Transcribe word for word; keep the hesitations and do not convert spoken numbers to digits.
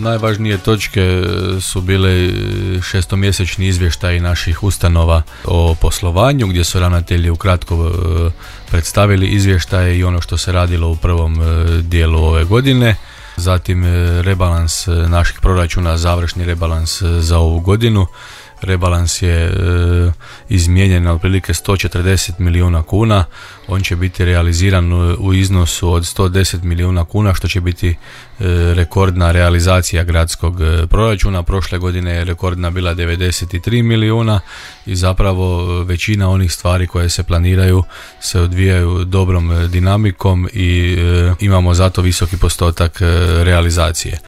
Najvažnije točke su bile šestomjesečni izvještaji naših ustanova o poslovanju, gdje su ravnatelji ukratko predstavili izvještaje i ono što se radilo u prvom dijelu ove godine. Zatim rebalans naših proračuna, završni rebalans za ovu godinu. Rebalans je e, izmijenjen na otprilike sto četrdeset milijuna kuna. On će biti realiziran u, u iznosu od sto deset milijuna kuna, što će biti e, rekordna realizacija gradskog e, proračuna. Prošle godine je rekordna bila devedeset tri milijuna i zapravo većina onih stvari koje se planiraju se odvijaju dobrom dinamikom i e, imamo zato visoki postotak e, realizacije.